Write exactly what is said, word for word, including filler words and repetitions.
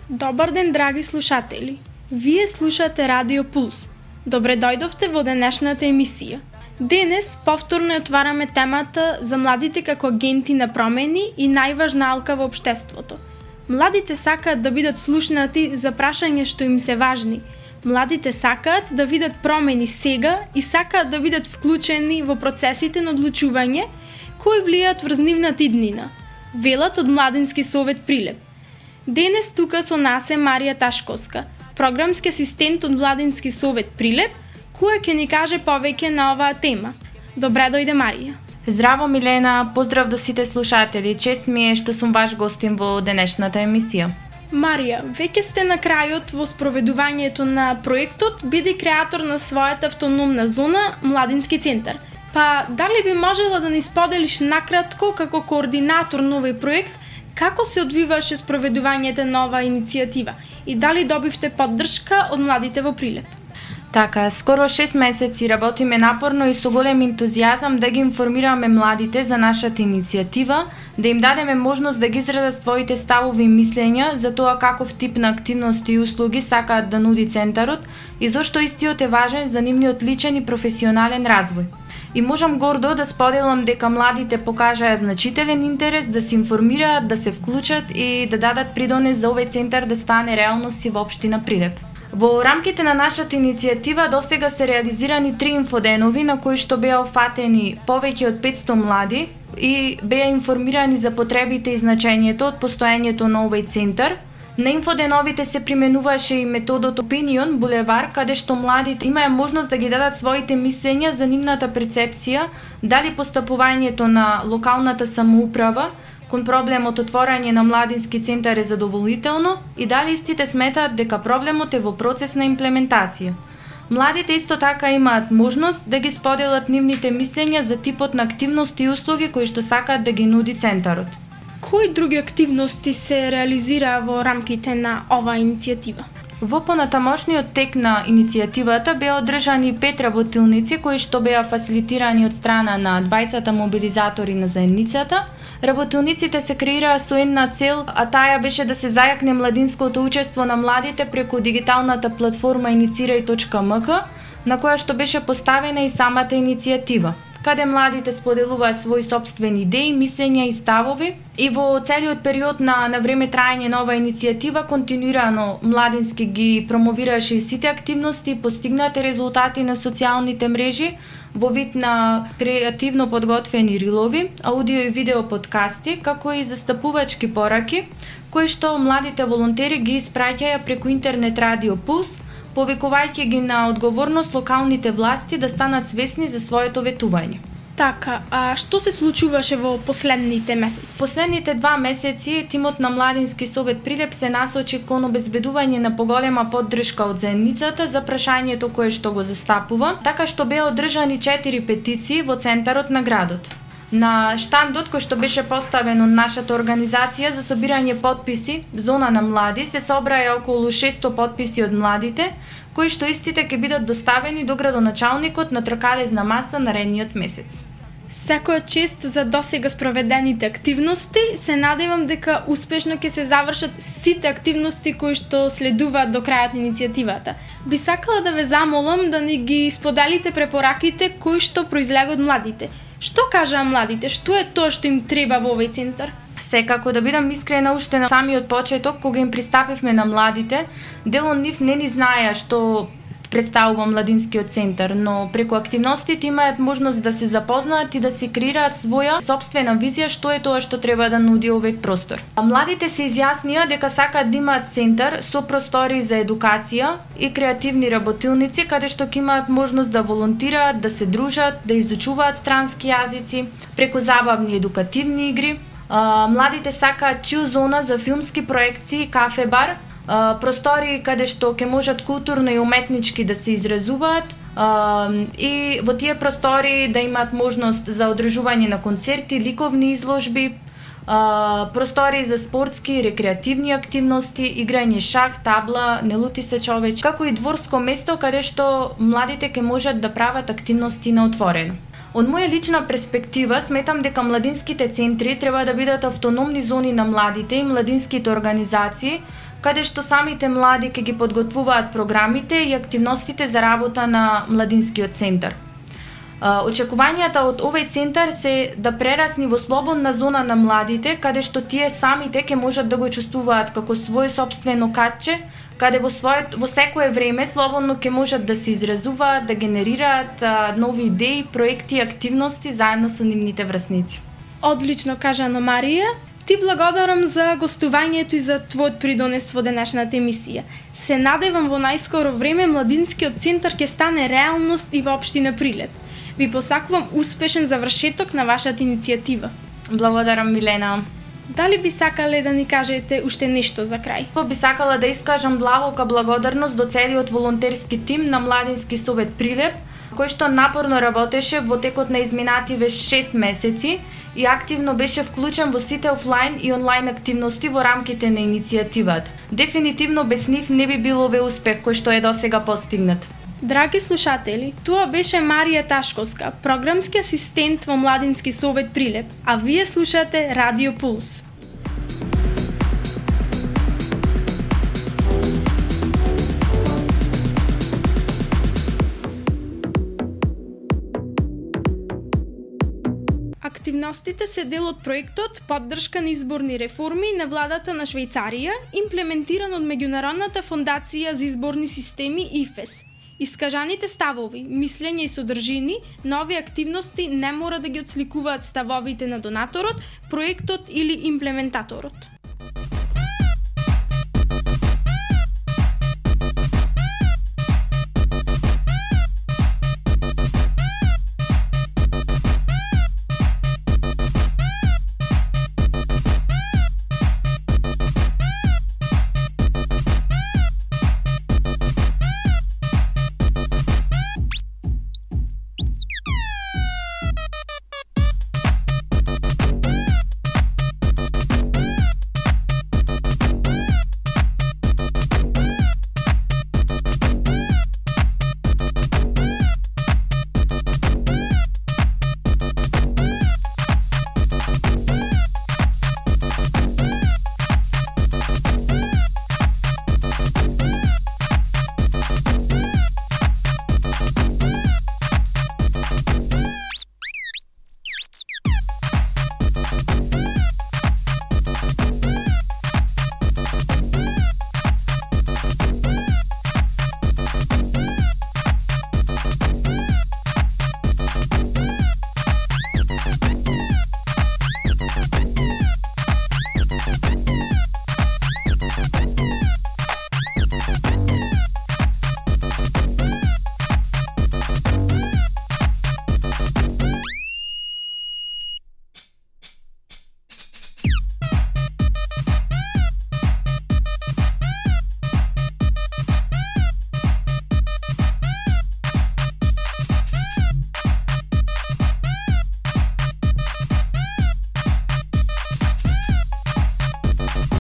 Добар ден, драги слушатели! Вие слушате Радио Пулс. Добре дојдовте во денешната емисија. Денес повторно отвараме темата за младите како агенти на промени и најважна алка во општеството. Младите сакаат да бидат слушнати за прашања што им се важни. Младите сакаат да видат промени сега и сакаат да бидат вклучени во процесите на одлучување кои влијаат врз нивната иднина. Велат од Младински совет Прилеп. Денес тука со нас е Марија Ташковска, програмски асистент од Младински совет Прилеп, која ќе ни каже повеќе на оваа тема. Добре дојде, Марија. Здраво, Милена, поздрав до сите слушатели. Чест ми е што сум ваш гостин во денешната емисија. Марија, веќе сте на крајот во спроведувањето на проектот, биде креатор на својата автономна зона Младински центар. Па, дали би можела да ни споделиш накратко како координатор на овој проект, како се одвиваше спроведувањето на оваа иницијатива и дали добивте поддршка од младите во Прилеп? Така, скоро шест месеци работиме напорно и со голем ентузијазам да ги информираме младите за нашата иницијатива, да им дадеме можност да ги изразат своите ставови и мислења за тоа каков тип на активности и услуги сакаат да нуди центарот и зошто истиот е важен за нивниот личен и професионален развој. И можам гордо да споделам дека младите покажаа значителен интерес да се информираат, да се вклучат и да дадат придонес за овој центар да стане реалност и во општина Прилеп. Во рамките на нашата иницијатива досега се реализирани три инфоденови на кои што беа офатени повеќе од петсто млади и беа информирани за потребите и значењето од постоењето на овој центар. На инфоденовите се применуваше и методот Opinion Булевар, каде што младите имаја можност да ги дадат своите мислења за нивната перцепција, дали постапувањето на локалната самоуправа кон проблемот отворање на Младински центар е задоволително и дали истите сметаат дека проблемот е во процес на имплементација. Младите исто така имаат можност да ги споделат нивните мислења за типот на активности и услуги кои што сакаат да ги нуди центарот. Кои други активности се реализира во рамките на оваа иницијатива? Во понатамошниот тек на иницијативата беа одржани пет работилници кои што беа фасилитирани од страна на двајцата мобилизатори на заедницата. Работилниците се креираа со една цел, а таа беше да се зајакне младинското учество на младите преку дигиталната платформа иницирај точка ем ка, на која што беше поставена и самата иницијатива, каде младите споделуваа своји сопствени идеи, мислења и ставови, и во целиот период на, на време траење на оваа иницијатива континуирано Младински ги промовираше сите активности и постигнати резултати на социјалните мрежи во вид на креативно подготвени рилови, аудио и видео подкасти, како и застапувачки пораки, кои што младите волонтери ги испраќаја преку интернет Радио Пулс, повикувајќи ги на одговорност локалните власти да станат свесни за своето ветување. Така, а што се случуваше во последните месеци? Последните два месеци тимот на Младински совет Прилеп се насочи кон обезбедување на поголема поддршка од заедницата за прашањето кое што го застапува, така што беа одржани четири петиции во центарот на градот. На штандот кој што беше поставен од нашата организација за собирање подписи Зона на млади се собраја околу шесто подписи од младите, кои што истите ќе бидат доставени до градоначалникот на тркалезна маса наредниот месец. Секоја чест за досега спроведените активности, се надевам дека успешно ќе се завршат сите активности кои што следуваат до крајот на иницијативата. Би сакала да ве замолам да ни ги споделите препораките кои што произлегат од младите. Што кажаа младите? Што е тоа што им треба во овој центар? Секако, да бидам искрена, уште на самиот почеток, кога им пристапивме на младите, дел од нив не ни знаеа што представува Младинскиот центар, но преку активностите имаат можност да се запознаат и да се креираат своја сопствена визија што е тоа што треба да нуди овој простор. Младите се изјаснија дека сакаат да имаат центар со простори за едукација и креативни работилници, каде што ќе имаат можност да волонтираат, да се дружат, да изучуваат странски јазици, преку забавни едукативни игри. Младите сакаат чил зона за филмски проекции, кафе-бар, простори каде што ќе можат културно и уметнички да се изразуваат и во тие простори да имаат можност за одржување на концерти, ликовни изложби, простори за спортски и рекреативни активности, играње шах, табла, не лути се човеч, како и дворско место каде што младите ќе можат да прават активности на отворено. Од моја лична перспектива, сметам дека младинските центри треба да бидат автономни зони на младите и младинските организации, каде што самите млади ќе ги подготвуваат програмите и активностите за работа на младинскиот центар. Очекувањата од овој центар се да прерасни во слободна зона на младите, каде што тие самите ќе можат да го чувствуваат како свој сопствено катче, каде во својот во секое време слободно ќе можат да се изразуваат, да генерираат а, нови идеи, проекти и активности заедно со нивните врсници. Одлично кажа Ана Марија. Ти благодарам за гостувањето и за твојот придонес во денешната емисија. Се надевам во најскоро време младинскиот центар ќе стане реалност и во општина Прилеп. Ви посакувам успешен завршеток на вашата иницијатива. Благодарам, Милена. Дали би сакале да ни кажете уште нешто за крај? Би сакала да искажам длабока благодарност до целиот волонтерски тим на Младински совет Прилеп, кој што напорно работеше во текот на изминативе шест месеци и активно беше вклучен во сите офлайн и онлайн активности во рамките на иницијативата. Дефинитивно без нив не би било овој успех кој што е досега постигнат. Драги слушатели, тоа беше Марија Ташковска, програмски асистент во Младински совет Прилеп, а вие слушате Радио Пулс. Активностите се дел од проектот Поддршка на изборни реформи на владата на Швајцарија, имплементиран од Меѓународната фондација за изборни системи И Ф Е С. Искажаните ставови, мислења и содржини, нови активности не мора да ги отсликуваат ставовите на донаторот, проектот или имплементаторот.